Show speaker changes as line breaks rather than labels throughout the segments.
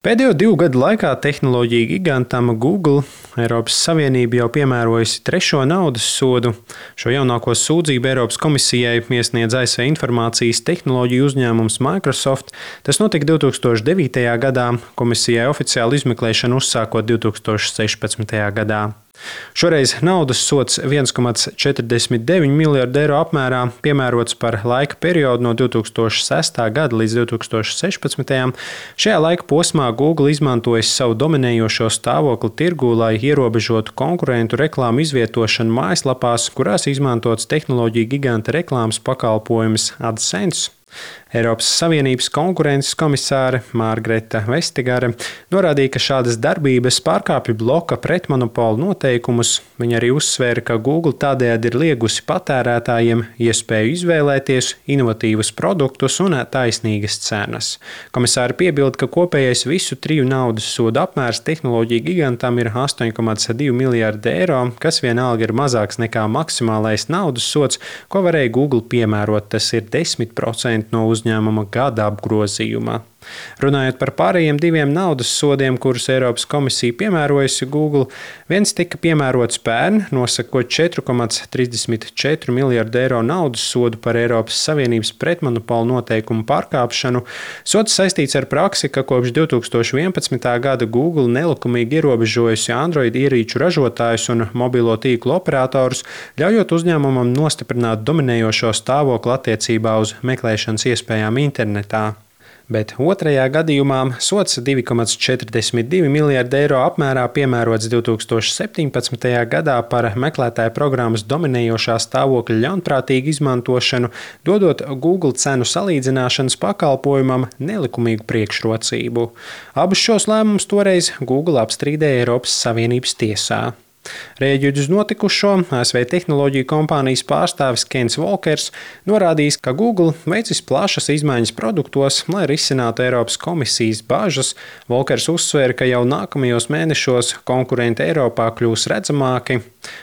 Pēdējo 2 gadu laikā tehnoloģiju gigantam Google Eiropas Savienība jau piemērojusi 3. naudas sodu. Šo jaunāko sūdzību Eiropas komisijai iesniedz ASV informācijas tehnoloģiju uzņēmums Microsoft. Tas notika 2009. gadā, komisijai oficiāli izmeklēšanu uzsākot 2016. gadā. Šoreiz naudas sods 1,49 miljardu eiro apmērā piemērots par laika periodu no 2006. gada līdz 2016. Šajā laika posmā Google izmantojis savu dominējošo stāvokli tirgū, lai ierobežotu konkurentu reklāmu izvietošanu mājaslapās, kurās izmantots tehnoloģiju giganta reklāmas pakalpojums AdSense. Eiropas Savienības konkurences komisāre Margareta Vestigare norādīja, ka šādas darbības pārkāpj bloka pretmonopolu noteikumus. Viņa arī uzsvēra, ka Google tādējādi ir liegusi patērētājiem iespēju izvēlēties inovatīvus produktus un taisnīgas cenas. Komisāre piebilda, ka kopējais visu 3 naudas sodu apmērs tehnoloģiju gigantam ir 8,2 miljardi eiro, kas vienalga ir mazāks nekā maksimālais naudas sods, ko varēja Google piemērot. Tas ir 10% no uzņēmuma gada apgrozījuma. Runājot par pārējiem 2 naudas sodiem, kurus Eiropas komisija piemērojusi Google, viens tika piemērots pērn, nosakot 4,34 miljardu eiro naudas sodu par Eiropas Savienības pretmonopolu noteikumu pārkāpšanu. Sods saistīts ar praksi, ka kopš 2011. gada Google nelikumīgi ierobežojusi Android ierīču ražotājus un mobilo tīklu operatorus, ļaujot uzņēmumam nostiprināt dominējošo stāvokli attiecībā uz meklēšanas iespējām internetā. Bet otrajā gadījumā sods 2,42 miljardu eiro apmērā piemērots 2017. gadā par meklētāju programmas dominējošā stāvokļa ļaunprātīgu izmantošanu, dodot Google cenu salīdzināšanas pakalpojumam nelikumīgu priekšrocību. Abus šos lēmumus toreiz Google apstrīdēja Eiropas Savienības tiesā. Rēģējot uz notikušo, ASV tehnoloģiju kompānijas pārstāvis Kens Volkers norādījis, ka Google veicis plašas izmaiņas produktos, lai risinātu Eiropas komisijas bažas. Volkers uzsvēra, ka jau nākamajos mēnešos konkurenti Eiropā kļūs redzamāki.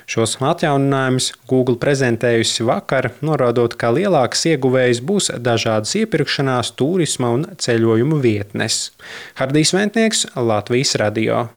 Šos atjauninājumus Google prezentējusi vakar, norādot, ka lielāks ieguvējs būs dažādas iepirkšanās, turisma un ceļojumu vietnes. Hardijs Ventnieks, Latvijas radio.